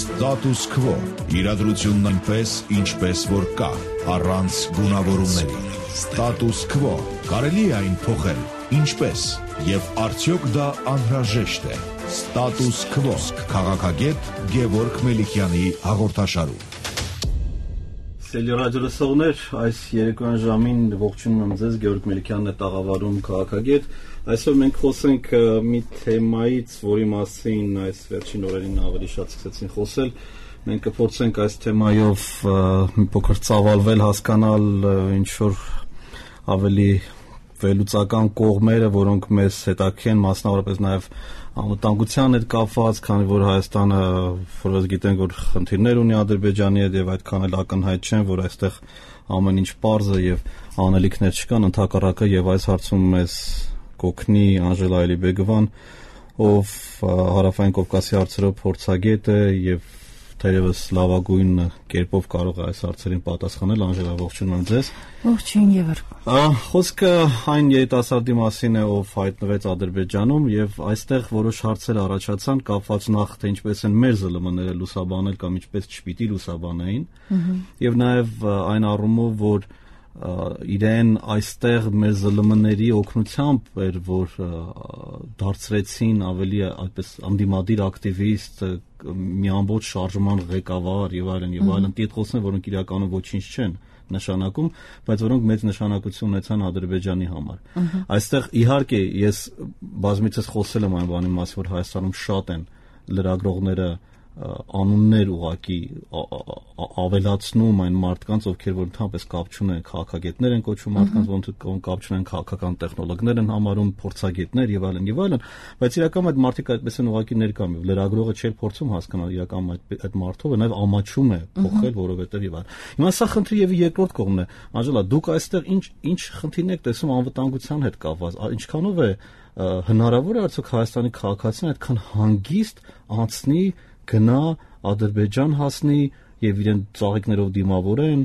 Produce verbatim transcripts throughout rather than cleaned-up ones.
Status quo. Իրադրությունն այնպես, ինչպես որ կա, առանց գունավորումների։ Status quo. Կարելի է այն փոխել, ինչպես, եւ արդյոք դա անհրաժեշտ է։ Status quo. Քաղաքագետ Գևորգ Մելիքյանի հաղորդաշարում։ Սելի ռադիոլսողներ, այս երեկոյան ժամին ողջունում եմ ձեզ, Գևորգ Մելիքյանն է տաղավարում քաղաքագետ։ Այսօր մենք խոսենք մի թեմայից, որի մասին այս վերջին օրերին ավելի շատ սկսեցին խոսել։ Մենք կփորձենք այս թեմայով մի փոքր ծավալվել, հասկանալ ինչ որ ավելի վերլուծական կողմերը, որոնք մեզ հետաքրքրեն, մասնավորապես նաև անվտանգության հետ կապված, քանի որ Հայաստանը, որպես գիտենք, որ խնդիրներ ունի Ադրբեջանի հետ եւ այդքան էլ ակնհայտ չեն, որ այստեղ ամեն ինչ պարզ է եւ անելիքներ չկան, ընդհակառակը եւ այս հարցում մեզ կօգնի Անժելա Ալիբեգովան, ով Հարավային Կովկասի հարցերով փորձագետ է եւ թերևս լավագույն կերպով կարող է այս հարցերին պատասխանել։ Անժելա, ողջունում եմ ձեզ։ Ողջույն, Գևորգ։ Խոսքը այն երիտասարդի մասին է, ով հայտնվեց Ադրբեջանում, եւ այստեղ որոշ հարցեր առաջացան, կապված նախ թե ինչպես են մեր ԶԼՄ-ները լուսաբանել կամ ինչպես չպիտի լուսաբանեին, եւ նաեւ այն առումով, որ իրեն այստեղ մեր ԶԼՄ-ների օգնությամբ էր, որ դարձրեցին ավելի այդպես անդիմադիր ակտիվիստ, մի ամբողջ շարժման ղեկավար եւ այլն եւ այլն տիտղոսներ, որոնք իրականում ոչինչ չեն նշանակում, բայց որոնք մեծ նշանակություն ունեցան Ադրբեջանի համար։ Այստեղ իհարկե ես բազմիցս խոսել եմ այն բանի մասին, որ Հայաստանում շատ են լրագրողները անուններ ուղակի ավելացնում այն մարդկանց, ովքեր որ ընդհանրապես կապ չունեն, քաղաքագետներ են կոչվում մարդկանց, որոնք կապ չունեն, քաղաքական տեխնոլոգներ են համարում, փորձագետներ եւ այլն եւ այլն, բայց իրականում այդ մարդիկ այդպես են ուղակի ներկա մի լրագրողը չէր փորձում հասկանալ իրականում այդ այդ մարդով է նաեւ ամաչում է փոխել, որովհետեւ եւ այլն։ Հիմա սա խնդրի եւ երկրորդ կողմն է։ Անժելա, դուք այստեղ ինչ ինչ խնդիրներ եք տեսնում անվտանգության հետ կապված, ինչքանով է հնարավոր է արդյոք Հայաստանի քաղաքացին այդքան հանգիստ անցնի գնա Ադրբեջան հասնի եւ իրեն ծաղիկներով դիմավորեն,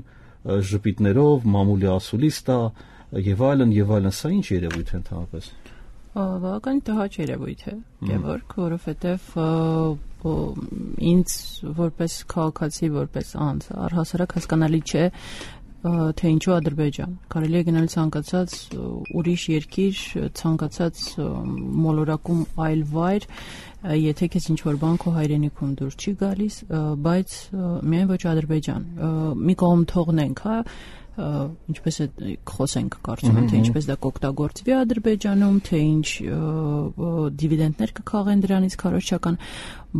ժպիտներով, մամուլի ասուլիս տա եւ այլն եւ այլն, սա ինչ երևույթ է ընդհանրապես։ Բավական տհաճ երևույթ է, Գևորգ, որովհետեւ ինձ որպես քաղաքացի, որպես անձ, առհասարակ հասկանալի չէ, թե ինչու Ադրբեջան։ Կարելի է գնալ ցանկացած ուրիշ երկիր, ցանկացած մոլորակում այլ վայր, եթե քեզ ինչ-որ բան քո հայրենիքում դուր չի գալիս, բայց միայն ոչ Ադրբեջան։ Մի կողմ թողնենք, հա, ինչպես է խոսենք, կարծում եմ, թե ինչպես դա կօգտագործվի Ադրբեջանում, թե ինչ դիվիդենդներ կքաղեն դրանից քարոզչական,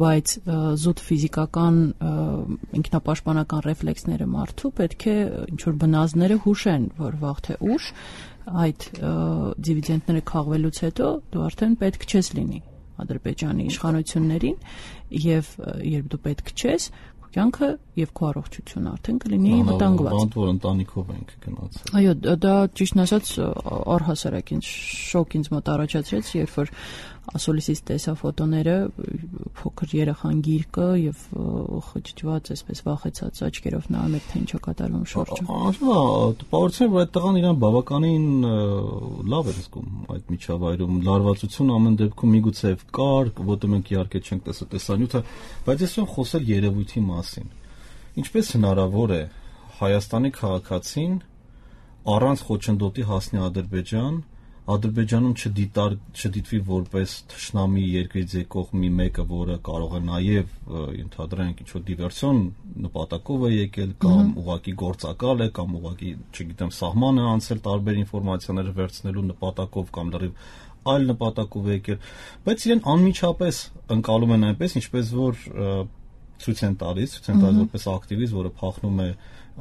բայց զուտ ֆիզիկական ինքնապաշտպանական ռեֆլեքսները մարդու պետք է ինչ-որ բնազդները հուշեն, որ վաղ թե ուշ այդ դիվիդենդները քաղվելուց հետո դու արդեն պետք չես լինի Ադրբեջանի իշխանություններին եւ երբ դու պետք չես, քո կյանքը եւ քո առողջությունը արդեն կլինի վտանգված։ Բանտ որ ընտանիքով ենք գնացել։ Այո, դա ճիշտն ասած առհասարակ ինձ շոկ ինձ մոտ առաջացրեց, երբ որ ասոլիսից տեսա ֆոտոները, փոքր երեխան գիրկը եւ խճճված, այսպես վախեցած աչքերով նայում էր, թե ինչ է կատարվում շուրջը։ Ահա, տպավորություն է, որ այդ տղան իրան բավականին լավ էր զգում այդ միջավայրում, լարվածություն ամեն դեպքում միգուցե կար, որտեղ մենք իհարկե չենք տեսա տեսանյութը, բայց ես եմ խոսել երևույթի մասին։ Ինչպես հնարավոր է Հայաստանի քաղաքացին առանց խոչընդոտի հասնի Ադրբեջան, Ադրբեջանում չդիտար չդիտվի որպես թշնամի երկրից եկող մի մեկը, որը կարող է նաև ընդհանրենք ինչ-որ դիվերսիոն նպատակով է եկել կամ ուղղակի գործակալ է կամ ուղղակի, չգիտեմ, սահման է անցել տարբեր ինֆորմացիաներ վերցնելու նպատակով կամ լրիվ այլ նպատակով է եկել, բայց իրեն անմիջապես ընկալում են այնպես, ինչպես որ ցույց են տալիս, ցույց են տալիս որպես ակտիվիստ, որը փախնում է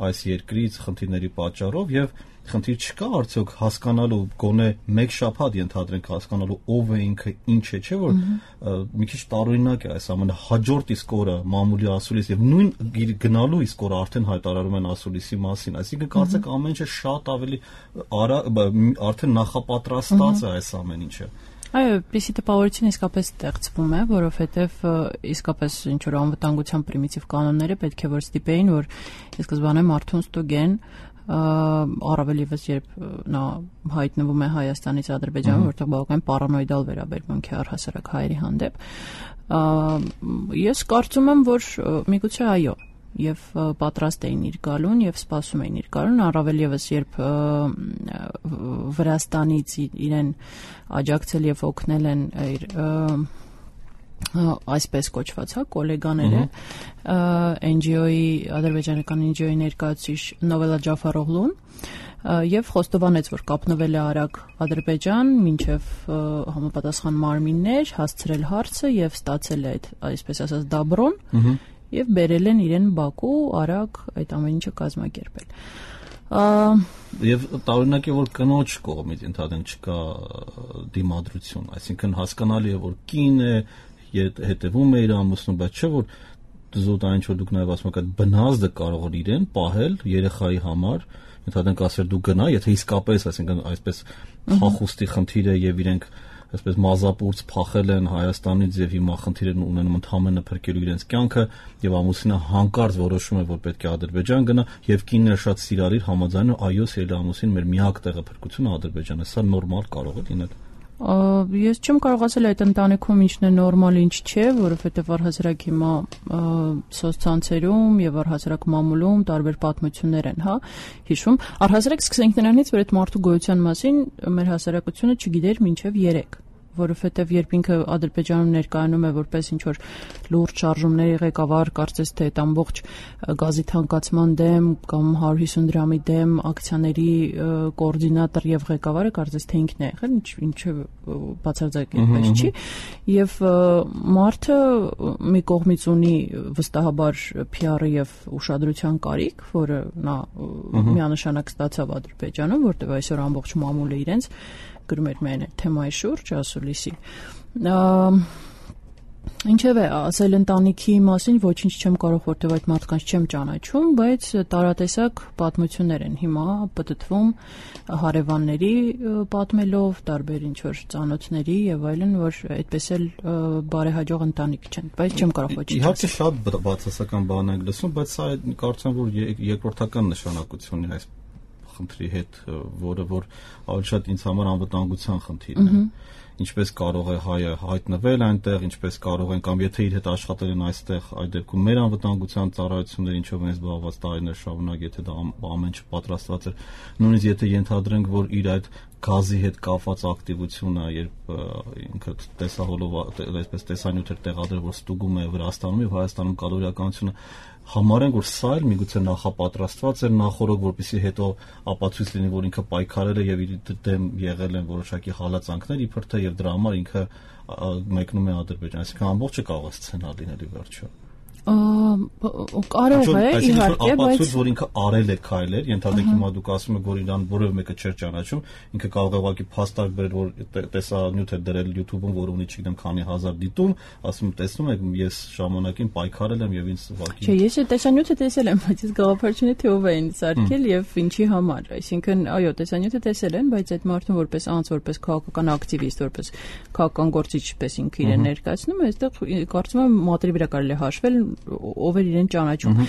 այս երկրից խնդիրների պատճառով եւ խնդիր չկա արդյոք հասկանալու գոնե մեկ շաբաթ ենթադրենք հասկանալու ով է ինքը, ինչ է, չէ՞ որ մի քիչ տարօրինակ է այս ամենը, հաջորդ իսկ օրը մամուլի ասուլիս եւ նույն գնալու իսկ օրը արդեն հայտարարում են ասուլիսի մասին, այսինքն կարծեք ամեն ինչը շատ ավելի արդեն նախապատրաստած է այս ամեն ինչը։ Այո, պիսի տպավորություն իսկապես ստեղծվում է, որովհետև իսկապես ինչ-որ անվտանգության պրիմիտիվ կանոնները պետք է որ ստիպեին, որ ի սկզբանե մարդուն ստուգեն, առավել եւս երբ նա հայտնվում է Հայաստանից Ադրբեջան, որտեղ բավական պարանոիդալ վերաբերմունք է առհասարակ հայերի հանդեպ, ես կարծում եմ, որ միգուցե այո, եւ պատրաստ էին իր գալուն եւ սպասում էին իր գալուն, առավել եւս երբ Վրաստանից իրեն աջակցել եւ օգնել են իր այսպես կոչված, հա, գոլեգաները, Էն ջի օ-ի, ադրբեջանական Էն ջի օ-ի ներկայացուցիչ Նովելա Ջաֆարօղլուն, եւ խոստովանեց, որ կապնվել է արագ Ադրբեջան, մինչև համապատասխան մարմիններ, հասցրել հարցը եւ ստացել է այդ, այսպես ասած, դաբրոն, եւ բերել են իրեն Բաքու արագ այդ ամեն ինչը կազմակերպել։ Եվ տարօրինակ է, որ կնոջ կողմից ընդհանրեն չկա դիմադրություն, այսինքն հասկանալի է, որ կին է, հետևում է իր ամուսնուն, բայց չէ, որ զուտ այն ինչ որ դուք նաև ասում եք, այդ բնազդը կարող է իրեն պահել երեխայի համար, ընդհանրեն ասել դու գնա, եթե իսկապես, այսինքն այսպես փախուստի խնդիր է եւ իրենք այսպես մազապուրց փախել են Հայաստանից եւ հիմա խնդիր են ունենում ընդհանրապես փրկելու իրենց կյանքը եւ ամուսինը հանկարծ որոշում է, որ պետք է Ադրբեջան գնա եւ կինն շատ սիրալիր համաձայնում, այո, սիրելի ամուսին, մեր միակ տեղը փրկությունը Ադրբեջանն է, սա նորմալ կարող է լինել։ Ես չեմ կարող ասել այդ ընտանիքում ինչն է նորմալ, ինչ չէ, որովհետև առհասարակ հիմա սոցցանցերում եւ առհասարակ մամուլում տարբեր պատմություններ են, հա, հիշում։ Առհասարակ սկսենք նրանից, որ այդ մարդու գոյության մասին մեր հասարակությունը չգիտեր մինչև երեք, որովհետև երբ ինքը Ադրբեջանում ներկայանում է որպես ինչ որ լուրջ շարժումների ղեկավար, կարծես թե այդ ամբողջ գազի թանկացման դեմ կամ հարյուր հիսուն դրամի դեմ ակցիաների կոորդինատոր եւ ղեկավարը կարծես թե ինքն է եղել, ինչը բացարձակ այդպես չի, եւ մարդը մի կողմից ունի վստահաբար փի ար-ի եւ ուշադրության կարիք, որը նա միանշանակ ստացավ Ադրբեջանում, որտեղ այսօր ամբողջ մամուլը իրենց գրում էր միայն այդ թեմայի շուրջ, ասուլիսի։ Ինչևէ, ասել ընտանիքի մասին ոչինչ չեմ կարող, որտեղ այդ մարդկանց չեմ ճանաչում, բայց տարատեսակ պատմություններ են հիմա պտտվում հարևանների պատմելով, տարբեր ինչ-որ ծանոթների եւ այլն, որ այդպես էլ բարեհաջող ընտանիք չեն, բայց չեմ կարող ոչինչ ասել։ Իհարկե շատ բացասական բան ենք լսում, բայց սա կարծեմ, որ երկրորդական նշանակություն ունի այս խնդրի հետ, որը որ ավելի շատ ինձ համար անվտանգության խնդիրն է։ Ինչպես կարող է հայը հայտնվել այնտեղ, ինչպես կարող են կամ եթե իր հետ աշխատել են այստեղ, այդ դեպքում մեր անվտանգության ծառայությունները ինչով են զբաղված տարիներ շարունակ, եթե դա ամեն ինչ պատրաստված է, նույնիսկ եթե ենթադրենք, որ իր այդ գազի հետ կապված ակտիվությունը, երբ ինքը տեսահոլով, այսպես տեսանյութեր տեղադրել, որ ստուգում է Վրաստանում եւ Հայաստանում կալորիականությունը, համարենք, որ սա էլ միգուցե նախապատրաստված էր նախորդ, որպեսզի հետո ապացույց լինի, որ ինքը պայքարել է եւ իր դեմ եղել են որոշակի հալածանքներ, իբր թե եւ դրա համար ինքը մեկնում է Ադրբեջան, այսինքն ամբողջը կարող է սցենար լինել ի վերջո։ Կարող է, իհարկե, բայց ապացույց, որ ինքը արել է քայլեր, ենթադրենք հիմա դուք ասում եք, որ իրան որևէ մեկը չէր ճանաչում, ինքը կարող է ուղղակի փաստարկ բերել, որ տեսանյութ է դրել YouTube-ում, որ ունի չգիտեմ քանի հազար դիտում, ասում տեսնում եք, ես ժամանակին պայքարել եմ եւ ինձ ուղղակի։ Չէ, ես տեսանյութը տեսել եմ, բայց ես գաղափարչունի թե ով է ինձ սարքել եւ ինչի համար, այսինքն, այո, տեսանյութը տեսել են, բայց այդ մարդուն որպես անձ, որպես քաղաքական ակտիվիստ, որպես քաղաքական գործիչ, պես ինքը իրեն ներկայացնում է, այստեղ կարծում եմ մատերի վրա կարելի է հաշվել ով էր իրեն ճանաչում։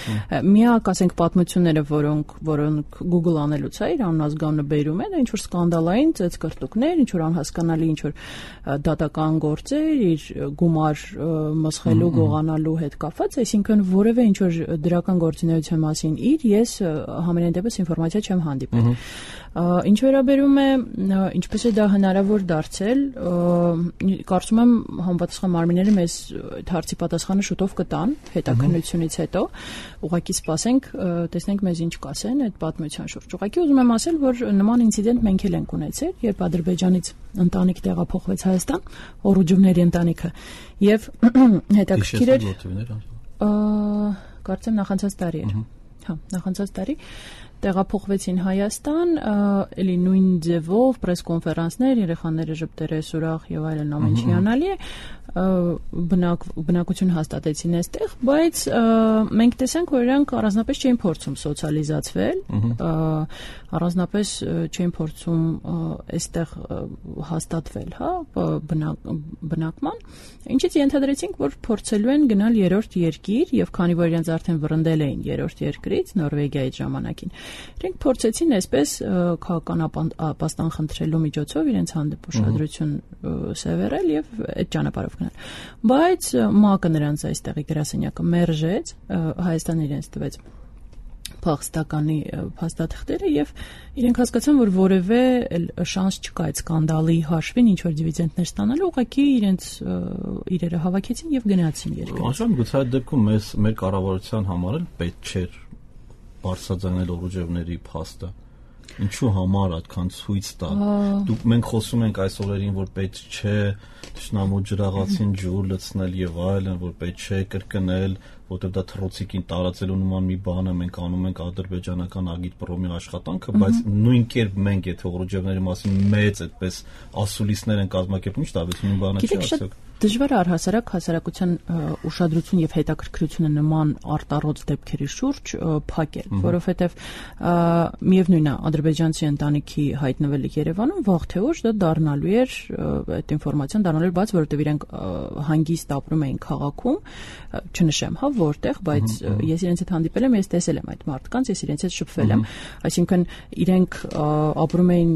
Միակ, ասենք, պատմությունները, որոնք որոնք Google անելուց է իր անազգանունը բերում են, ինչ որ սկանդալային ծեծկրտուկներ, ինչ որ անհասկանալի, ինչ որ դատական գործեր, իր գումար մսխելու, գողանալու հետ կապված, այսինքն որևէ ինչ որ դրական գործունեության մասին իր ես համենայն դեպս ինֆորմացիա չեմ հանդիպել։ Ինչ վերաբերում է ինչպես է դա հնարավոր դարձել, կարծում եմ համապատասխան մարմինները մեզ այդ հարցի պատասխանը շուտով կտան հետաքննությունից հետո, ուղղակի սպասենք, տեսնենք մեզ ինչ կասեն այդ պատմության շուրջ։ Ուղղակի ուզում եմ ասել, որ նման ինցիդենտ մենք էլ ենք ունեցել, երբ Ադրբեջանից ընտանիք տեղափոխվեց Հայաստան, Օրուջովների ընտանիքը, եւ հետաքրքիր էր, կարծեմ նախանցած տարի էր։ Հա, նախանցած տարի տեղափոխվեցին Հայաստան, էլի նույն ձևով պրես-կոնֆերանսներ, երեխաները ժպտերես ուրախ եւ այլն ամեն ինչ հիանալի է, բնակ բնակություն հաստատեցին այստեղ, բայց մենք տեսանք, որ իրանք առանձնապես չէին փորձում սոցիալիզացվել, առանձնապես չէին փորձում այստեղ հաստատվել, հա, բնակման, ինչից ենթադրեցինք, որ փորձելու են գնալ երրորդ երկիր եւ քանի որ իրենց արդեն վռնդել էին երրորդ երկրից, Նորվեգիայից ժամանակին, իրենք փորձեցին այսպես քաղաքական ապաստան խնդրելու միջոցով իրենց հանդեպ ուշադրություն սևեռել եւ այդ ճանապարհով գնալ։ Բայց ՄԱԿ-ը նրանց այստեղի գրասենյակը մերժեց, Հայաստանը իրենց տվեց փախստականի փաստաթղթերը եւ իրենք հասկացան, որ որևէ շանս չկա այդ սկանդալի հաշվին ինչ որ դիվիդենդներ ստանալու, ուղղակի իրենց իրերը հավաքեցին եւ գնացին երկրից։ Աշան գուցե այդ դեպքում մեզ մեր կառավարության համար էլ պետք չէր բարձրաձայնել օրուջևների փաստը։ Ինչու համար այդքան ցույց տա։ Դուք մենք խոսում ենք այս օրերին, որ պետք չէ ճշնամու ջրաղացին ջուր լցնել եւ այլն, որ պետք չէ կրկնել, որտեղ դա թռոցիկին տարածելու նման մի բան է, մենք անում ենք ադրբեջանական ագիտպրոմի աշխատանքը, բայց նույն կերպ մենք եթե օրուջևների մասին մեծ այդպես ասուլիսներ են կազմակերպում, ինչ տարբերություն բանը չի ասեք։ Դժվար է առհասարակ հասարակության ուշադրություն եւ հետաքրքրությունը նման արտառոց դեպքերի շուրջ փակել, որովհետեւ միևնույն է ադրբեջանցի ընտանիքի հայտնվելը Երևանում վաղ թե ուշ դա դառնալու էր այդ ինֆորմացիան դառնալու էր բաց, որովհետեւ իրենք հանգիստ ապրում էին քաղաքում, չնշեմ, հա, որտեղ, բայց ես իրենց հետ հանդիպել եմ, ես տեսել եմ այդ մարդկանց, ես իրենց հետ շփվել եմ, այսինքն իրենք ապրում էին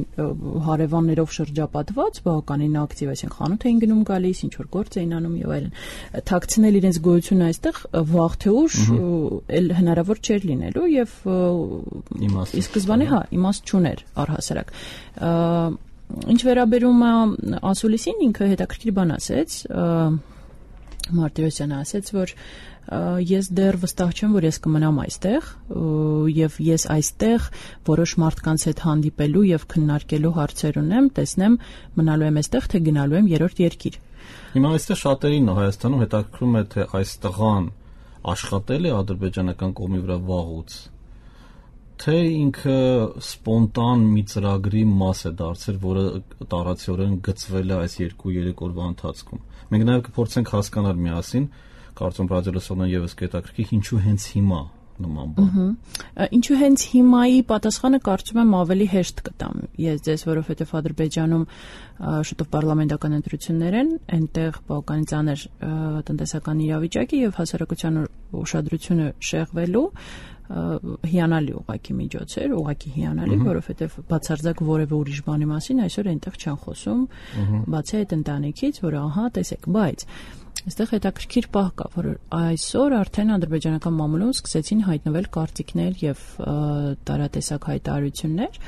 հարևաններով շրջապատված, բավականին ակտիվ, այսինքն խանութ էին գնում գալիս, ինչ որ գործ էին անում եւ այլն, թաքցնել իրենց գոյությունը այստեղ վաղ թե ուշ էլ հնարավոր չէր լինելու եւ ի սկզբանե հա իմաստ չուներ առհասարակ։ Ինչ վերաբերում է ասուլիսին, ինքը հետաքրքիր բան ասեց, Մարտիրոսյանը ասեց, որ ես դեռ վստահ չեմ, որ ես կմնամ այստեղ եւ ես այստեղ որոշ մարդկանց հետ հանդիպելու եւ քննարկելու հարցեր ունեմ, տեսնեմ մնալու եմ այստեղ, թե գնալու եմ երրորդ երկիր։ Հիմա այստեղ շատերին Հայաստանում հետաքրքրում է, թե այս տղան աշխատել է ադրբեջանական կողմի վրա վաղուց, թե ինքը սպոնտան մի ծրագրի մաս է դարձել, որը տարածիորեն գծվել է այս երկու-երեք օրվա ընթացքում։ Մենք նաև կփորձենք հասկանալ միասին, կարծում ռադիոլսողներն եւս կհետաքրքրի, ինչու հենց հիմա նման բան։ Ինչու հենց հիմայի պատասխանը կարծում եմ ավելի հեշտ կտամ ես ձեզ, որովհետև Ադրբեջանում շուտով պարլամենտական ընտրություններ են, այնտեղ բավականին ծանր տնտեսական իրավիճակի եւ հասարակության ուշադրությունը շեղվելու հիանալի ուղղակի միջոց էր, ուղղակի հիանալի, որովհետև բացարձակ որևէ ուրիշ բանի մասին այսօր այնտեղ չեն խոսում, բացի այդ ընտանիքից, որ ահա, տեսեք, բայց այստեղ հետաքրքիր պահ կա, որ այսօր արդեն ադրբեջանական մամուլում սկսեցին հայտնվել կարծիքներ եւ տարատեսակ հայտարարություններ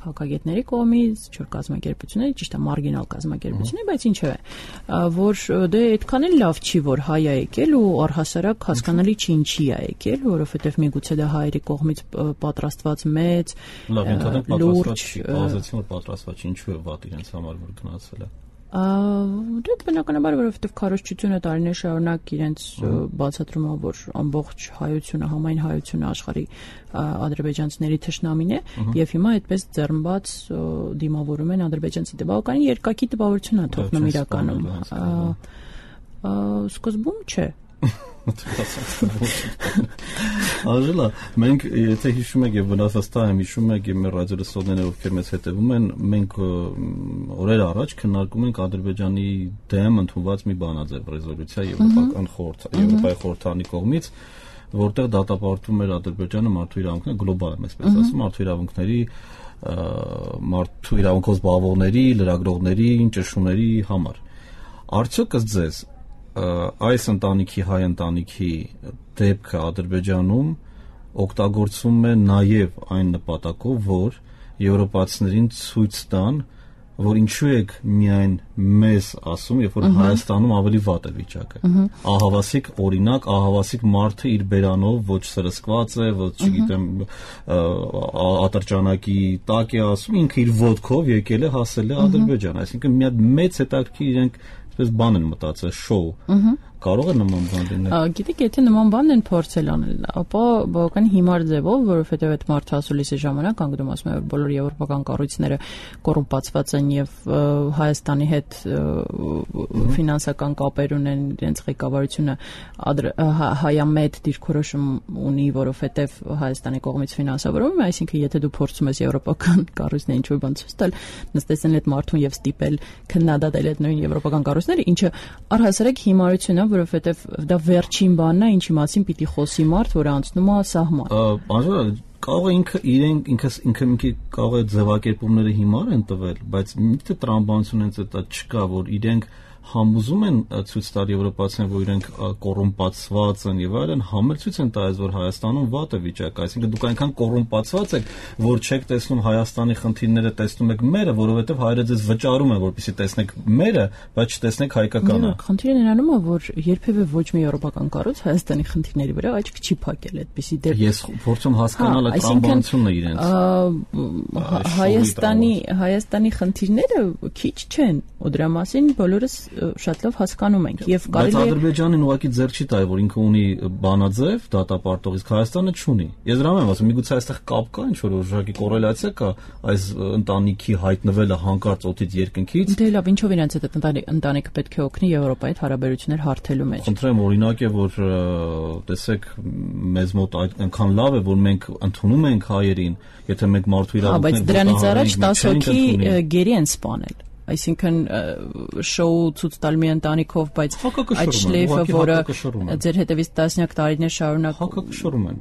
քաղաքագետների կողմից, ինչ-որ կազմակերպությունների, ճիշտ է, մարգինալ կազմակերպությունների, բայց ինչու է, որ դե այդքան էլ լավ չի, որ հայ է եկել ու առհասարակ հասկանալի չի ինչի է եկել, որովհետեւ միգուցե դա հայերի կողմից պատրաստված մեծ լուրջ բազացիոն պատրաստված ինչու է վատ իրենց համար որ գնացել է։ Դե բնականաբար, որովհետև քարոզչությունը տարիներ շարունակ իրենց բացատրում է, որ ամբողջ հայությունը, համայն հայությունը աշխարհի ադրբեջանցիների թշնամին է, եւ հիմա այդպես ձեռնբաց դիմավորում են ադրբեջանցի դեպքային երկակի տպավորություն է թողնում իրականում։ Սկզբում չէ։ Աժելա, մենք եթե հիշում եք եւ վնասվածքա եմ հիշում եք եւ մեր ռադիոլսողները ովքեր մեզ հետեւում են, մենք օրեր առաջ քննարկում ենք Ադրբեջանի դեմ ընդունված մի բանաձև ռեզոլյուցիա Եվրոպական խորհրդի Եվրոպայի խորհրդանի կողմից, որտեղ դատապարտում էր Ադրբեջանը մարդու իրավունքները գլոբալ եմ այսպես ասում, մարդու իրավունքների մարդու իրավունքով զբաղվողների, լրագրողների, ճշտումների համար։ Արդյոք ըստ ձեզ այս ընտանիքի հայ ընտանիքի դեպքը Ադրբեջանում օգտագործում է նաև այն նպատակով, որ եվրոպացիներին ցույց տան, որ ինչու եք միայն մեզ ասում, երբ որ Հայաստանում ավելի վատ է վիճակը։ Ահավասիկ օրինակ, ահավասիկ մարդը իր բերանով ոչ սրսկված է, ոչ չգիտեմ ատրճանակի տակ է ասում, ինքը իր ոդկով եկել է հասել է Ադրբեջան, այսինքն մի հատ մեծ հետաքրքիր իրենք Պես բան են մտածել, շոու, կարող է նման բան լինել։ Գիտեք, եթե նման բան են փորձել անել, ապա բավական հիմար ձևով, որովհետև այդ մարդը ասուլիսի ժամանակ անգամ ասում է, որ բոլոր եվրոպական կառույցները կոռումպացված են եւ Հայաստանի հետ ֆինանսական կապեր ունեն, իրենց ղեկավարությունը հայամետ դիրքորոշում ունի, որովհետև Հայաստանի կողմից ֆինանսավորվում է, այսինքն եթե դու փորձում ես եվրոպական կառույցներին ինչ-որ բան ցույց տալ, նստեցնել այդ մարդուն եւ ստիպել քննադատել այդ նույն եվրոպական կառույցները, ինչը առհասարակ հիմարություն է, որովհետև դա վերջին բանն է, ինչի մասին պիտի խոսի մարդ, որը անցնում է սահման։ Անժելա, կարող է ինքը իրեն ինքը ինքը ինքը կարող է ձևակերպումները հիմար են տվել, բայց միտքը տրամաբանություն հենց դա չկա, որ իրենք համոզում են ցույց տալ եվրոպացիներին, որ իրենք կոռումպացված են եւ այլն, համել ցույց են տալիս, որ Հայաստանում վատ է վիճակը, այսինքն դուք այնքան կոռումպացված եք, որ չեք տեսնում Հայաստանի խնդիրները, տեսնում եք մերը, որովհետեւ հայրը ձեզ վճարում են, որպեսզի տեսնեք մերը, բայց չտեսնեք հայկականը։ Խնդիրը նրանում է, որ երբևէ ոչ մի եվրոպական կառույց Հայաստանի խնդիրների վրա աչք չի փակել, այդպեսի դեպք։ Ես փորձում հասկանալ այդ տրամաբանությունն է իրենց։ Հայաստանի Հայաստանի խնդիրները քիչ չեն, ու դրա մասին բոլորս շատ լավ հասկանում ենք եւ կարելի է բայց Ադրբեջանին ուղղակի ձեռ չի տալ, որ ինքը ունի բանաձև դատապարտող, իսկ Հայաստանը չունի։ Ես դրա եմ ասում, միգուցե այստեղ կապ կա, ինչ որ ուժղակի կոռելացիա կա այս ընտանիքի հայտնվելը հանկարծ օդից երկնքից։ Դե լավ, ինչով իրենց այդ ընտանիքը պետք է օգնի Եվրոպայի հետ հարաբերություններ հարթելու մեջ։ Խնդրեմ, օրինակ է, որ տեսեք, մեզ մոտ այնքան լավ է, որ մենք ընդունում ենք հայերին, եթե մենք մարդու իրավունքներ բայց դրանից առաջ տասը հոգի գերի են սպանել։ Այսինքն շոու ցույց տալ մի ընտանիքով, բայց այդ շլեյֆը, որը ձեր հետևից տասնյակ տարիներ շարունակ հակակշռում են։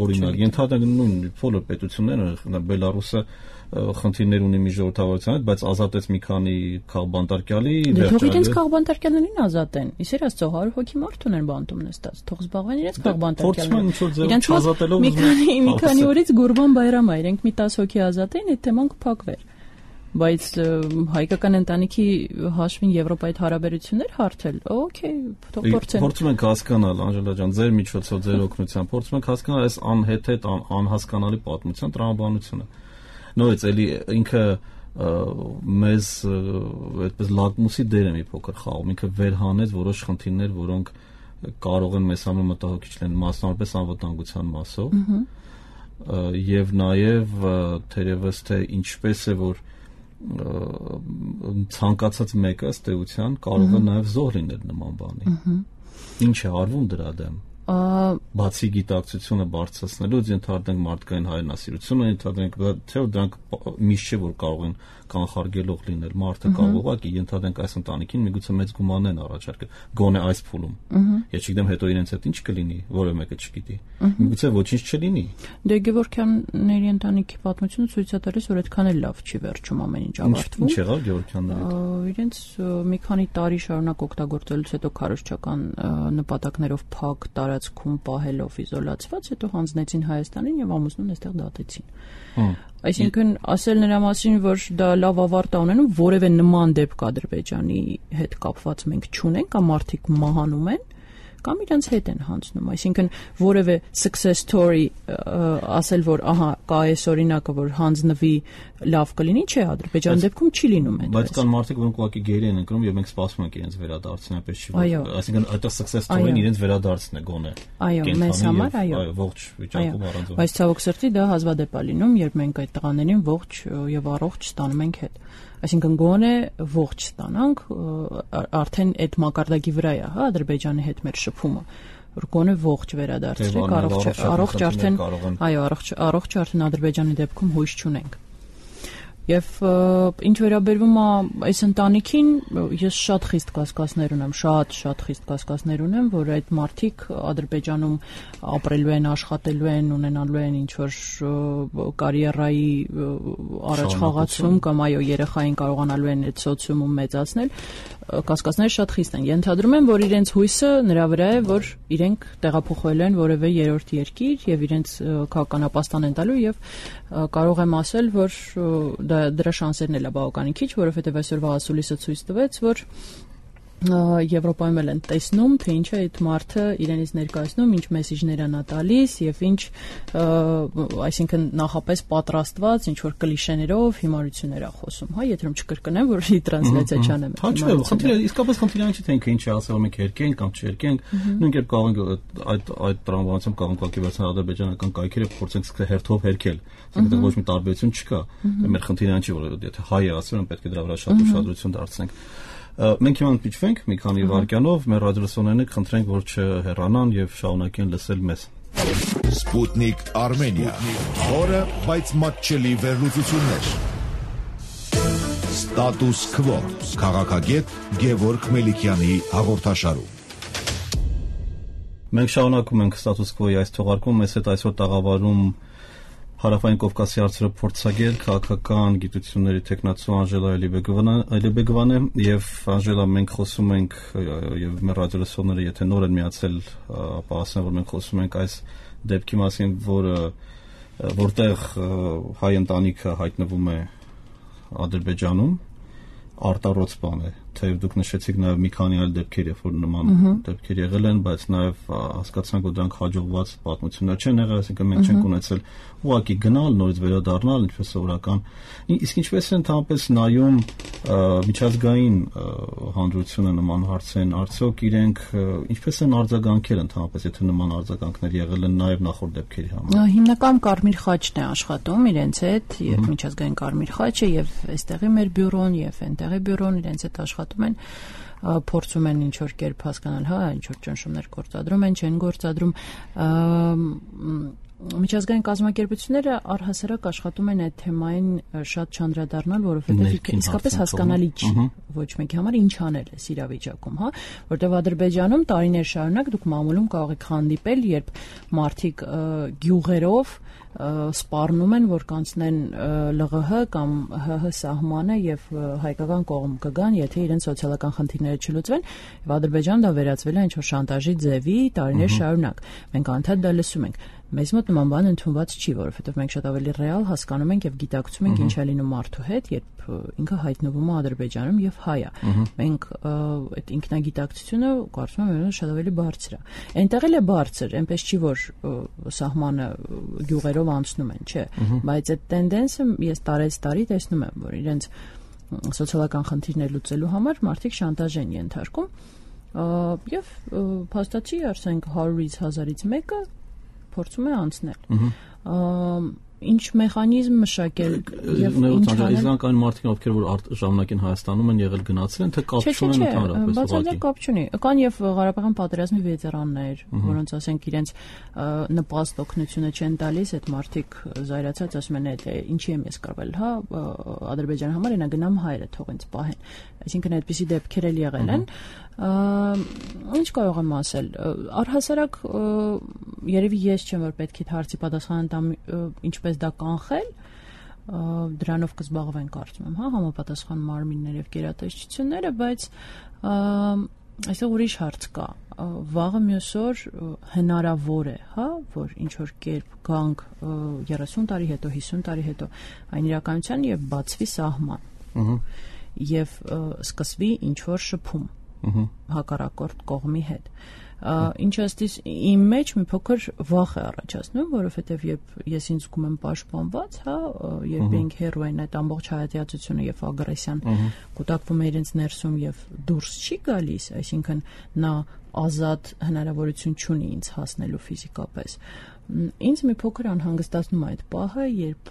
Օրինակ, ենթադրենք նույն բոլոր պետությունները, Բելարուսը խնդիրներ ունի մի ժողովրդավարության հետ, բայց ազատեց մի քանի քաղբանտարկյալի, դե թող իրենց քաղբանտարկյալներին ազատեն։ Իսեր Աստծո հարյուր հոգի մարդ ունեն բանտում նստած, թող զբաղվեն իրենց քաղբանտարկյալներին։ Իրենց մի քանի մի քանի օրից Գուրբան Բայրամ է, իրենք մի տասը հոգի ազատեն, այդ թեման կփակվեր։ Բայց հայկական ընտանիքի հաշվին Եվրոպայի հետ հարաբերություններ հարթել, օքեյ, թող փորձեն։ Փորձում ենք հասկանալ, Անժելա ջան, ձեր միջոցով, ձեր օգնությամբ, փորձում ենք հասկանալ այս անհեթեթ, անհասկանալի պատմության տրամաբանությունը։ Նորից էլի ինքը մեզ այդպես լակմուսի դեր է մի փոքր խաղում, ինքը վերհանեց որոշ խնդիրներ, որոնք կարող են մեզ համար մտահոգիչ լինել, մասնավորապես անվտանգության մասով։ Եվ նաև թերևս թե ինչպես է որ ցանկացած մեկը ըստ էության կարող է նաև զոհ լինել նման բանի։ Ինչ է արվում դրա դեմ։ Բացի գիտակցությունը բարձրացնելուց ենթադրենք մարդկային հայրենասիրությունը, ենթադրենք թե դրանք միշտ չէ որ կարող են կանխարգելող լինել, մարդը կարող ուղղակի ենթադրենք այս ընտանիքին միգուցե մեծ գումարներ են առաջարկել, գոնե այս փուլում։ Ես չգիտեմ հետո իրենց հետ ինչ կլինի, որը մեկը չգիտի։ Միգուցե ոչինչ չլինի։ Դե Գևորգյանների ընտանիքի պատմությունը ցույց է տալիս, որ այդքան էլ լավ չի վերջում ամեն ինչ ավարտվում։ Ինչ եղավ Գևորգյանների հետ։ Իրենց մի քանի տարի շարունակ օգտագործելուց հետո քարոզչական նպատակներով փակ տարածքում պահելով իզոլացված, հետո հանձնեցին Հայաստանին եւ ամուսնուն այստեղ դատեցին։ Այսինքն ասել նրա մասին, որ դա լավ ավարտ է ունենում, որևէ նման դեպք Ադրբեջանի հետ կապված մենք չունենք, կամ մարդիկ մահանում են, կամ իրենց հետ են հանձնում, այսինքն որևէ success story ասել, որ ահա կա այս օրինակը, որ հանձնվի լավ կլինի, չէ, Ադրբեջանի դեպքում չի լինում այդպես։ Բայց կան մարդիկ, որոնք ուղղակի գերի են ընկնում եւ մենք սպասում ենք իրենց վերադարձին, այնպես չի, այսինքն այդտեղ success story-ն իրենց վերադարձն է գոնե։ Այո, մեզ համար այո, ողջ վիճակում առանց։ Բայց ցավոք սրտի դա հազվադեպ է լինում, երբ մենք այդ տղաներին ողջ եւ առողջ ստանում ենք հետ։ Այսինքն գոնե ողջ ստանանք, արդեն այդ մակարդակի վրա է, հա, Ադրբեջանի հետ մեր շփումը, որ գոնե ողջ վերադարձրեք, առողջ առողջ արդեն, այո, առողջ առողջ արդեն Ադրբեջանի դեպքում հույս չունենք։ Եվ ինչ վերաբերվում է այս ընտանիքին, ես շատ խիստ կասկածներ ունեմ, շատ շատ խիստ կասկածներ ունեմ, որ այդ մարդիկ Ադրբեջանում ապրելու են, աշխատելու են, ունենալու են ինչ որ կարիերայի առաջխաղացում կամ այո, երեխային կարողանալու են այդ սոցիումում մեծացնել, կասկածները շատ խիստ են։ Ենթադրում եմ, որ իրենց հույսը նրա վրա է, որ իրենք տեղափոխվել են որևէ երրորդ երկիր եւ իրենց քաղաքանապաստան են տալու եւ կարող եմ ասել, որ դրա շանսերն էլ է բավականին քիչ, որովհետև այսօրվա ասուլիսը ցույց տվեց, որ Եվրոպայում էլ են տեսնում, թե ինչ է այդ մարդը իրենից ներկայացնում, ինչ մեսիջներ է նա տալիս եւ ինչ, այսինքն նախապես պատրաստված ինչ որ կլիշեներով հիմարություններ է խոսում, հա, եթե չկրկնեմ, որ ի տրանսլյացիա չանեմ։ Հա, չէ, խնդիրը իսկապես խնդիրը այն չի, թե ինքը ինչ է ասել, մենք երկենք կամ չերկենք, նույն կերպ կարող ենք այդ այդ տրամաբանությամբ կարող ենք ակտիվացնել ադրբեջանական կայքերը, փորձենք սկսել հերթով հերքել, այսինքն ոչ մի տարբերություն չկա։ Մեր խնդիրը այն չի, որ եթե հայ է ասում, պետք է դրա վրա շատ ուշադրություն դարձնենք։ Մենք հիմա ընդմիջվենք մի քանի վայրկյանով, մեր ռադիոլսողներին խնդրենք, որ չհեռանան եւ շարունակեն լսել մեզ։ Sputnik Armenia, խորը, բայց մատչելի վերլուծություններ։ Status Quo, քաղաքագետ Գևորգ Մելիքյանի հաղորդաշարում։ Մենք շարունակում ենք Status Quo-ի այս թողարկումը, մեզ հետ այսօր տաղավարում Հարավային Կովկասի հարցերը փորձագետ, քաղաքական գիտությունների տեխնացու Անժելա Էլիբեգովան է, եւ Անժելա, մենք խոսում ենք եւ մեր ռադիոլսողները եթե նոր են միացել, ապա ասեմ, որ մենք խոսում ենք այս դեպքի մասին, որը որտեղ հայ ընտանիքը հայտնվում է Ադրբեջանում, արտառոց բան է, թեև դուք նշեցիք նաև մի քանի այլ դեպքեր, երբ որ նման դեպքեր եղել են, բայց նաև հասկացանք, որ դրանք հաջողված պատմություններ չեն եղել, այսինքն մենք չենք ունեցել ուղղակի գնալ, նորից վերադառնալ, ինչպես սովորական։ Իսկ ինչպես է ընդհանրապես նայում միջազգային հանրությունը նման հարցերին, արդյոք իրենք ինչպես են արձագանքել ընդհանրապես, եթե նման արձագանքներ եղել են նաև նախորդ դեպքերի համար։ Հիմնական Կարմիր խաչն է աշխատում իրենց հետ, եւ միջազգային Կարմիր խաչը, եւ այստեղի մեր բյուրոն, եւ այնտեղի բյուրոն իրենց հետ աշխատում են, փորձում են ինչ որ կերպ հասկանալ, հա, ինչ որ ճնշումներ գործադրում են, չեն գործադրում։ Միջազգային կազմակերպությունները առհասարակ աշխատում են այդ թեմային շատ չանդրադառնալ, որովհետև իսկապես հասկանալի չի ոչ մեկի համար ինչ անել է իրավիճակում, հա, որտեղ Ադրբեջանում տարիներ շարունակ դուք մամուլում կարող եք հանդիպել, երբ մարդիկ գյուղերով սպառնում են, որ կանցնեն ԼՂՀ կամ ՀՀ սահմանը եւ հայկական կողմ կգան, եթե իրենց սոցիալական խնդիրները չլուծվեն, եւ Ադրբեջանը դա վերածվել է ինչ-որ շանտաժի ձևի տարիներ շարունակ։ Մենք անդադ դա լսում ենք։ Մեզ մոտ նման բան ընդունված չի, որովհետև մենք շատ ավելի ռեալ հասկանում ենք եւ գիտակցում ենք ինչ է լինում մարդու հետ, երբ ինքը հայտնվում է Ադրբեջանում եւ հայ է։ Մենք այդ ինքնագիտակցությունը կարծում եմ շատ ավելի բարձր է։ Այնտեղ էլ է բարձր, այնպես չի որ սահմանը գյուղերով անցնում են, չէ, բայց այդ տենդենսը ես տարեց տարի տեսնում եմ, որ իրենց սոցիալական խնդիրներ լուծելու համար մարդիկ շանտաժ են ենթարկում եւ փաստացի ասենք հարյուրից հազարից մեկը փորձում է անցնել։ Ինչ մեխանիզմ մշակել եւ ինչ անել։ Իսկ այն մարդիկ, ովքեր որ ժամանակին Հայաստանում են եղել, գնացել են, թե կապ չունեն ընդհանրապես։ Բացարձակ կապ չունի։ Կան եւ Ղարաբաղյան պատերազմի վետերաններ, որոնց ասենք իրենց նպաստ օգնությունը չեն տալիս, այդ մարդիկ զայրացած ասում են, այդ ինչի եմ ես կռվել, հա, Ադրբեջանի համար այնա գնամ հայերը թող ինձ պահեն։ Այսինքն այդպիսի դեպքեր էլ եղել են։ Ինչ կարող եմ ասել, առհասարակ երևի ես չեմ որ պետք է հարցի պատասխան տամ ինչպես դա կանխել, դրանով կզբաղվեն կարծում եմ, հա, համապատասխան մարմիններ եւ գերատեսչությունները, բայց այսօր ուրիշ հարց կա, վաղը մյուս օր հնարավոր է, հա, որ ինչ որ կերպ գանք երեսուն տարի հետո, հիսուն տարի հետո այն իրականության եւ բացվի սահման եւ սկսվի ինչ որ շփում հակառակորդ կողմի հետ։ Ինչը ըստիս իմ մեջ մի փոքր վախ է առաջացնում, որովհետև երբ ես ինձ զգում եմ պաշտպանված, հա, երբ ենք հերո են այդ ամբողջ հայատյացությունը եւ ագրեսիան կուտակվում է իրենց ներսում եւ դուրս չի գալիս, այսինքն նա ազատ հնարավորություն չունի ինձ հասնելու ֆիզիկապես։ Ինձ մի փոքր անհանգստացնում է այդ պահը, երբ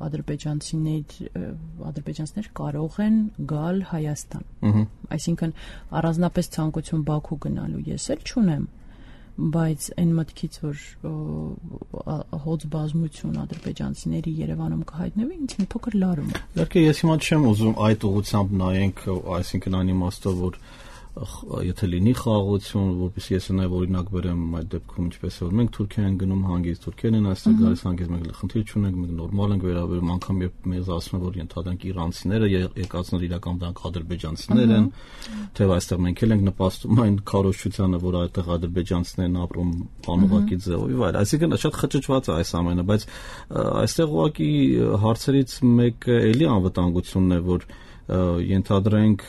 ադրբեջանցիներ ադրբեջանցիներ կարող են գալ Հայաստան։ Այսինքն առանձնապես ցանկություն Բաքու գնալու ես էլ չունեմ, բայց այն մտքից որ հոց բազմություն ադրբեջանցիների Երևանում կհայտնվի, ինձ մի փոքր լարում է։ Իհարկե ես հիմա չեմ ուզում այդ ուղղությամբ նայենք, այսինքն այն իմաստով որ եթե լինի խաղաղություն, որպես ես նաև օրինակ բերեմ այդ դեպքում ինչպես է որ մենք Թուրքիա են գնում հանգիստ, թուրքերն են այստեղ գալիս հանգիստ, մենք խնդիր չունենք, մենք նորմալ ենք վերաբերում, անգամ երբ մեզ ասում են որ ենթադրենք իրանցիները եկածներ իրական դրանք ադրբեջանցիներ են, թեև այստեղ մենք էլ ենք նպաստում այն քարոզչությանը, որ այդտեղ ադրբեջանցիներն ապրում անուղակի ձևով եւ այլ, այսինքն շատ խճճված է այս ամենը, բայց այստեղ ուղղակի հարցերից մեկը էլի անվտանգությունն է, որ ենթադրենք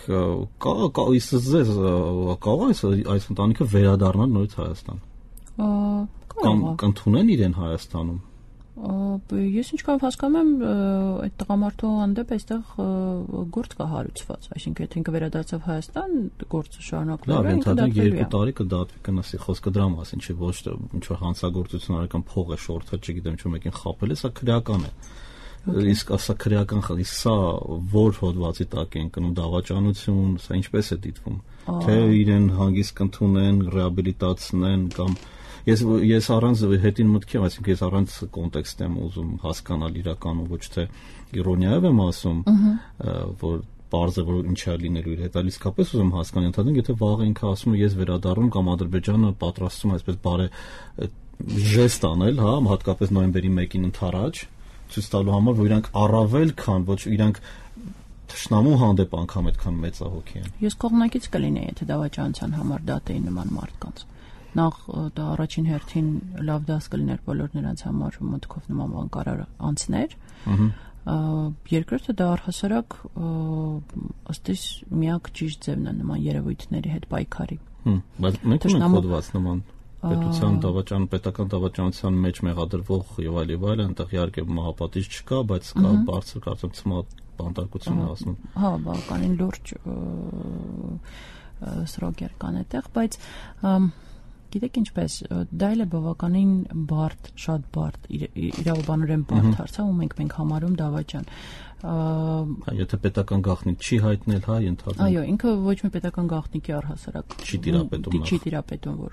կա իսզես կարող է այս ընտանիքը վերադառնալ նորից Հայաստան։ Կամ կընդունեն իրեն Հայաստանում։ Ես ինչքան հասկանում եմ, այդ տղամարդու հանդեպ այստեղ գործ կա հարուցված, այսինքն եթե ինքը վերադարձավ Հայաստան, գործը շարունակվելու է, ինքը դատվի։ Երկու տարի կդատվի, կնասի խոսքը դրա մասին, չէ՞ ոչ թե ինչ որ հանցագործություն արական փող է շորթել, չգիտեմ, ինչ մեկին խաբել է, սա քրեական է։ Իսկ ասա քրեական խնդիր, սա որ հոդվածի տակ են կնում դավաճանություն, սա ինչպես է դիտվում, թե իրեն հանգիստ կընդունեն, ռեաբիլիտացնեն կամ ես ես առանց հետին մտքի, այսինքն ես առանց կոնտեքստ եմ ուզում հասկանալ իրականում, ոչ թե իրոնիայով եմ ասում, որ բարձր որ ինչ է լինելու իր հետ, այլ իսկապես ուզում հասկանալ, ընդհանրապես եթե վաղ ինքը ասում է ես վերադառնում կամ Ադրբեջանը պատրաստվում է այսպես բարե ժեստ անել, հա, հատկապես նոյեմբերի մեկին ընդառաջ ցույց տալու համար, որ իրանք առավել քան ոչ իրանք թշնամու հանդեպ անգամ այդքան մեծահոգի են։ Ես կողմնակից կլինեի, եթե դավաճանության համար դատեի նման մարդկանց։ Նախ դա առաջին հերթին լավ դաս կլիներ բոլոր նրանց համար, որ մտքով նման բան կարող անցներ։ Երկրորդը դա առհասարակ ըստ իս միակ ճիշտ ձևն է նման երևույթների հետ պայքարի։ Բայց մենք ունենք հոդված նման պետության դավաճան, պետական դավաճանության մեջ մեղադրվող եւ այլ եւ այլ, այնտեղ իհարկե մահապատիժ չկա, բայց կա բարձր կարծեմ ցմահ բանտարկություն է ասում։ Հա, բավականին լուրջ սրոկեր կան այդտեղ, բայց գիտեք ինչպես, դա էլ է բավականին բարդ, շատ բարդ, իրավաբանորեն բարդ հարց, ու մենք մենք համարում դավաճան։ Եթե պետական գաղտնիք չի հայտնել, հա, ընդհանրապես։ Այո, ինքը ոչ մի պետական գաղտնիքի առհասարակ չի տիրապետում, չի տիրապետում, որ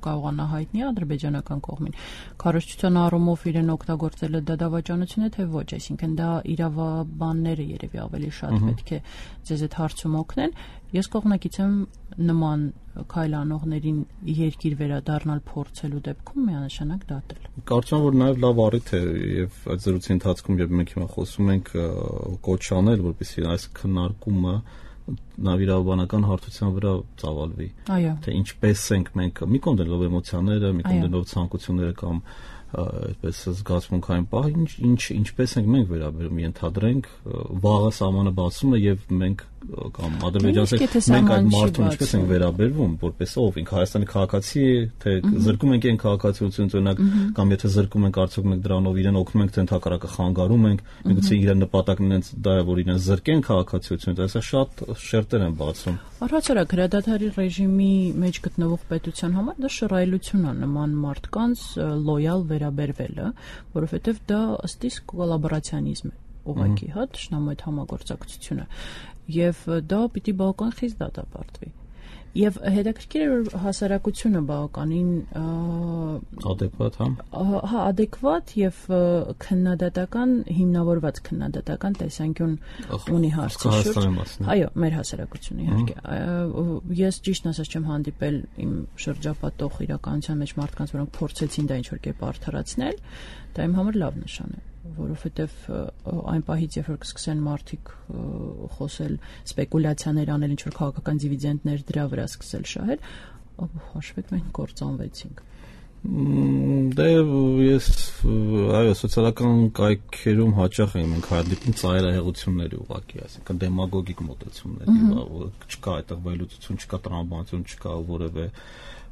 կարողանա հայտնի ադրբեջանական կողմին։ Քարոզչության առումով իրեն օգտագործելը դա դավաճանություն է, թե ոչ, այսինքն դա իրավաբանները երևի ավելի շատ պետք է ձեզ այդ հարցում օգնեն։ Ես կողմնակից եմ նման քայլ անողներին երկիր վերադառնալ փորձելու դեպքում միանշանակ դատել։ Կարծում եմ, որ նաև լավ առիթ է եւ այդ զրույցի ընթացքում երբ մենք հիմա խոսում ենք կոչ անել, որպեսզի այս քննարկումը նավիրավաբանական հարթության վրա ծավալվի։ Թե ինչպես ենք մենք մի կոնդելով էմոցիաները, մի կոնդելով ցանկությունները կամ այդպես զգացմունքային պահ, ինչ ինչ ինչպես ենք մենք վերաբերում, ենթադրենք վաղը սահմանը բացում է եւ մենք կամ ադրբեջանցիները մենք այդ մարդուն ինչպես ենք վերաբերվում, որպես ով ինքը Հայաստանի քաղաքացի է, թե զրկում ենք այն քաղաքացիությունից օրինակ, կամ եթե զրկում ենք արդյոք մենք դրանով իրեն օգնում ենք, թե ընդհակառակը խանգարում ենք, միգուցե իրեն նպատակն ինձ դա է, որ իրեն զրկեն քաղաքացիությունից, այսինքն շատ շերտեր են բացում։ Առհասարակ հրադադարի ռեժիմի մեջ գտնվող պետության համար դա շռայլություն է նման մարդկանց լոյալ վերաբերվելը, որովհետև դա ըստ իս կոլաբորացիոնիզմ է, ուղղակի, հա, թշնամու հետ համագործակցությունը, եւ դա պիտի բավական խիստ դատապարտվի։ Եվ հետաքրքիր է, որ հասարակությունը բավականին adekvat, հա։ Հա, adekvat եւ քննադատական, հիմնավորված քննադատական տեսանկյուն ունի հարցի շուրջ։ Այո, մեր հասարակությունը իհարկե։ Ես ճիշտն ասած չեմ հանդիպել իմ շրջապատող իրականության մեջ մարդկանց, որոնք փորձեցին դա ինչ-որ կերպ արդարացնել, դա իմ համար լավ նշան է, որովհետև այն պահից, երբ որ կսկսեն մարդիկ խոսել, սպեկուլյացիաներ անել, ինչ-որ քաղաքական դիվիդենդներ դրա վրա սկսել շահել, հաշվեք մենք կործանվեցինք։ Դե ես այո սոցիալական կայքերում հաճախ եմ մենք հանդիպում ծայրահեղությունների ուղղակի, այսինքն դեմագոգիկ մոտեցումների, չկա այդտեղ վերլուծություն, չկա տրամաբանություն, չկա որևէ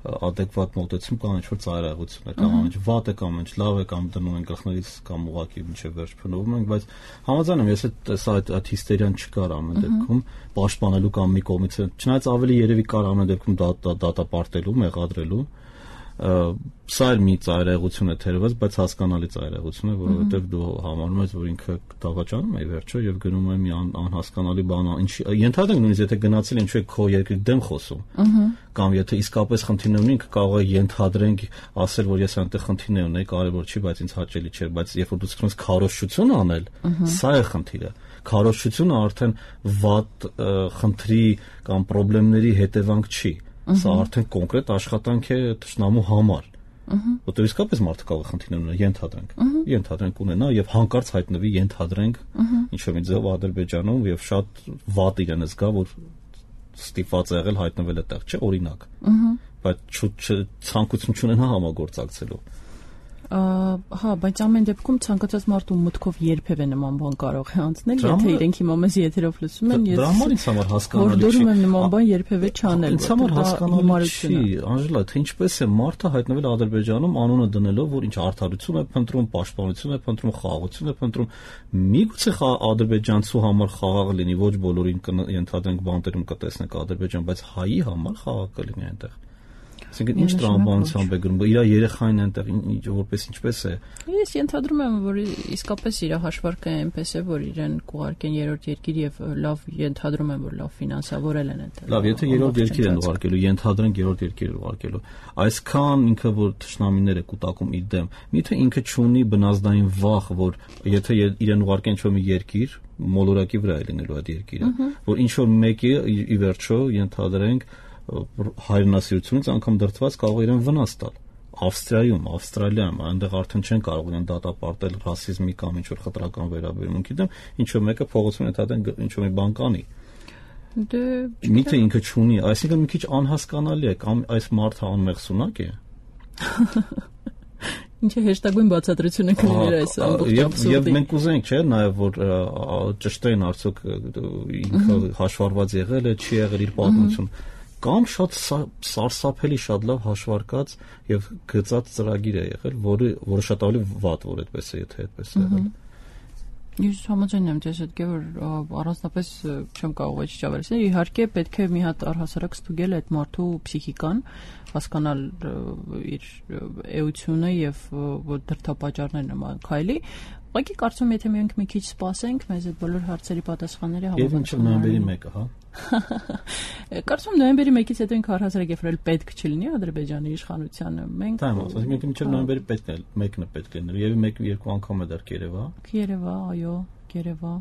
adekvat մոտեցում, կամ ինչ-որ ծայրահեղություն է, կամ ինչ վատ է, կամ ինչ լավ է, կամ դնում են գլխներից, կամ ուղղակի մինչև վերջ փնովում ենք, բայց համաձայն եմ, ես այդ այդ հիստերիան չկար ամեն դեպքում պաշտպանելու կամ մի կողմից, չնայած ավելի երևի կար ամեն դեպքում դատապարտելու, մեղադրելու, սա էլ մի ծայրահեղություն է թերևս, բայց հասկանալի ծայրահեղություն է, որովհետև դու համարում ես, որ ինքը դավաճանում է վերջո եւ գնում է մի անհասկանալի բան, ինչ ենթադրենք նույնիսկ եթե գնացել ինչու է քո երկրի դեմ խոսում, կամ եթե իսկապես խնդիրներ ունի, ինքը կարող է ենթադրենք ասել, որ ես այնտեղ խնդիրներ ունեի, կարևոր չի, բայց ինձ հաճելի չէր, բայց երբ որ դու սկսում ես քարոզչություն անել, սա է խնդիրը։ Քարոզչությունը արդեն վատ խնդրի կամ խնդիրների հետևանք չի։ Սա արդեն կոնկրետ աշխատանք է թշնամու համար, որտեղ իսկապես մարդը կարող է խնդիրներ ունենալ, ենթադրենք, ենթադրենք ունենա եւ հանկարծ հայտնվի, ենթադրենք ինչ-որ մի ձև Ադրբեջանում եւ շատ վատ իրեն զգա, որ ստիպված է եղել հայտնվել այդտեղ, չէ, օրինակ, բայց ցանկություն չունենա համագործակցելու։ Հա, բայց ամեն դեպքում ցանկացած մարդու մտքով երբևէ նման բան կարող է անցնել, եթե իրենք հիմա մեզ եթերով լսում են, ես դրա համար ինձ համար հասկանալի չի։ Որդորում եմ նման բան երբևէ չանել, ինձ համար հասկանալի չի, Անժելա, թե ինչպես է մարդը հայտնվել Ադրբեջանում անունը դնելով, որ ինչ արդարություն է փնտրում, պաշտպանություն է փնտրում, խաղաղություն է փնտրում, միգուցե ադրբեջանցու համար խաղաղ լինի, ոչ բոլորին ենթադրենք բանտերում կտեսնենք Ադրբեջան, բայց հայի համար խաղաղ կլինի այնտեղ։ Այսինքն ինչ տրամաբանությամբ է գրում, իր երեխային այնտեղ որպես ինչպես է։ Ես ենթադրում եմ, որ իսկապես իր հաշվարկը այնպես է, որ իրեն կուղարկեն երրորդ երկիր եւ լավ ենթադրում եմ, որ լավ ֆինանսավորել են այնտեղ։ Լավ, եթե երրորդ երկիր են ուղարկելու, ենթադրենք երրորդ երկիր ուղարկելու, այսքան ինքը որ թշնամիներ է կուտակում իր դեմ, միթե ինքը չունի բնազդային վախ, որ եթե իրեն ուղարկեն ինչ-որ մի երկիր, մոլորակի վրա է լինելու այդ երկիրը, որ ինչ-որ մեկի ի վերջո ենթադրենք հայրենասիրությունից անգամ դրդված կարող է իրեն վնաս տալ, Ավստրիայում, Ավստրալիայում, այնտեղ արդեն չեն կարող իրեն դատապարտել ռասիզմի կամ ինչ որ խտրական վերաբերմունքի դեմ, ինչ որ մեկը փողոցում ընդհանրեն ինչ որ մի բան կանի։ Դե Միթե ինքը չունի, այսինքն մի քիչ անհասկանալի է, կամ այս մարդը անմեղսունակ է։ Ինչ է հեշտագույն բացատրությունը կլիներ այս ամբողջ աբսուրդի։ Եվ մենք ուզենք, չէ, նաև որ ճշտեն արդյոք ինքը հաշվառված եղել է, չի եղել իր պատմությունը, կամ շատ սարսափելի, շատ լավ հաշվարկած եւ գծած ծրագիր է եղել, որը որը շատ ավելի վատ որ այդպես է, եթե այդպես է եղել։ Ես համաձայն եմ ձեզ հետ, որ առանձնապես չեմ կարող այդ ճավերել։ Իհարկե պետք է մի հատ առհասարակ ստուգել այդ մարդու փսիխիկան, հասկանալ իր էությունը եւ որ դրդապատճառներն նման քայլի։ Ուղղակի կարծում եմ, եթե մենք մի քիչ սպասենք, մեզ այդ բոլոր հարցերի պատասխանները հավաքենք։ Եվ ինչ նոյեմբերի մեկը, հա։ Կարծում եմ նոյեմբերի մեկից հետո ինքը առհասարակ եփրել պետք չլինի Ադրբեջանի իշխանությանը։ Մենք Դա ասում ենք մինչև նոյեմբերի պետք է մեկն է պետք լինել։ Եվ մեկ երկու անգամ է դեռ Երևա։ Երևա, այո, Երևա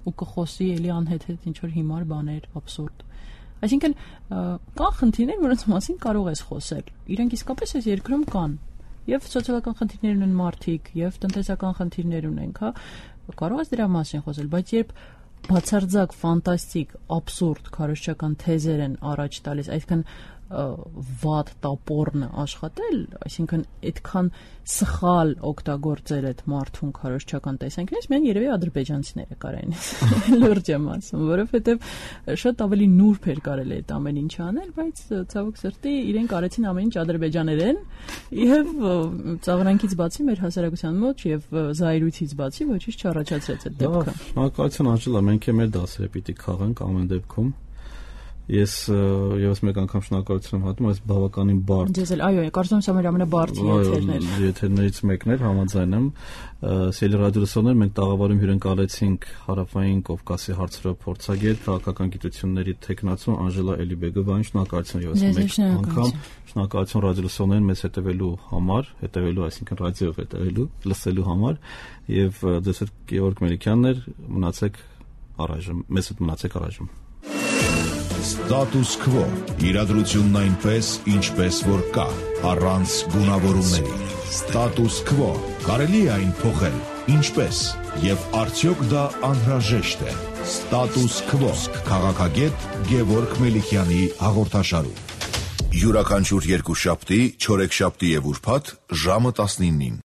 ու կխոսի էլի անհետ ինչ որ հիմար բաներ, աբսուրդ։ Այսինքն կան խնդիրներ, որոնց մասին կարող ես խոսել։ Իրենք իսկապես այս երկրում կան։ Եվ սոցիալական խնդիրներ ունեն մարդիկ, եւ տնտեսական խնդիրներ ունենք, հա։ Կարող ես դրա մասին խոսել, բայց երբ բացարձակ ֆանտաստիկ, աբսուրդ քարոզչական թեզեր են առաջ տալիս, այսինքն վատ տապորն աշխատել, այսինքն այդքան սխալ օգտագործել այդ մարդուն քարոզչական տեսանկյունից, մեն երևի ադրբեջանցիները կարային լուրջ եմ ասում, որովհետև շատ ավելի նուրբ էր կարելի այդ ամեն ինչ անել, բայց ցավոք սրտի իրենք արեցին ամեն ինչ ադրբեջաներեն եւ ծաղրանքից բացի մեր հասարակության մոտ եւ զայրույցից բացի ոչինչ չառաջացրեց այդ դեպքը։ Շնորհակալություն Անջելա, մենք էլ մեր դասերը պիտի քաղենք ամեն դեպքում։ Ես եւս մեկ անգամ շնորհակալություն եմ հատում, այս բավականին բարդ։ Ձեզ էլ, այո, կարծում եմ, սա մեր ամենաբարդ եթերն էր։ Եթերներից մեկն էր, համաձայն եմ։ Սիրելի ռադիոլսողներ, մենք տաղավարում հյուրընկալեցինք Հարավային Կովկասի հարցերով փորձագետ, քաղաքական գիտությունների թեկնածու Անջելա Էլիբեգովային, շնորհակալություն եւս մեկ անգամ։ Շնորհակալություն ռադիոլսողներին մեզ հետևելու համար, հետևելու, այսինքն ռադիոյով հետևելու, լսելու համար, եւ ձեզ հետ Գեորգ Մելիքյանն էր, մնացեք առայժմ, մեզ հետ մնացեք առայժմ։ Status quo. Իրադրությունն այնպես, ինչպես որ կա, առանց գունավորումների։ Status quo. Կարելի է այն փոխել, ինչպես, եւ արդյոք դա անհրաժեշտ է։ Status quo. Քաղաքագետ Գևորգ Մելիքյանի հաղորդաշարում։ Յուրաքանչյուր երկուշաբթի, չորեքշաբթի եւ ուրբաթ ժամը տասնինին։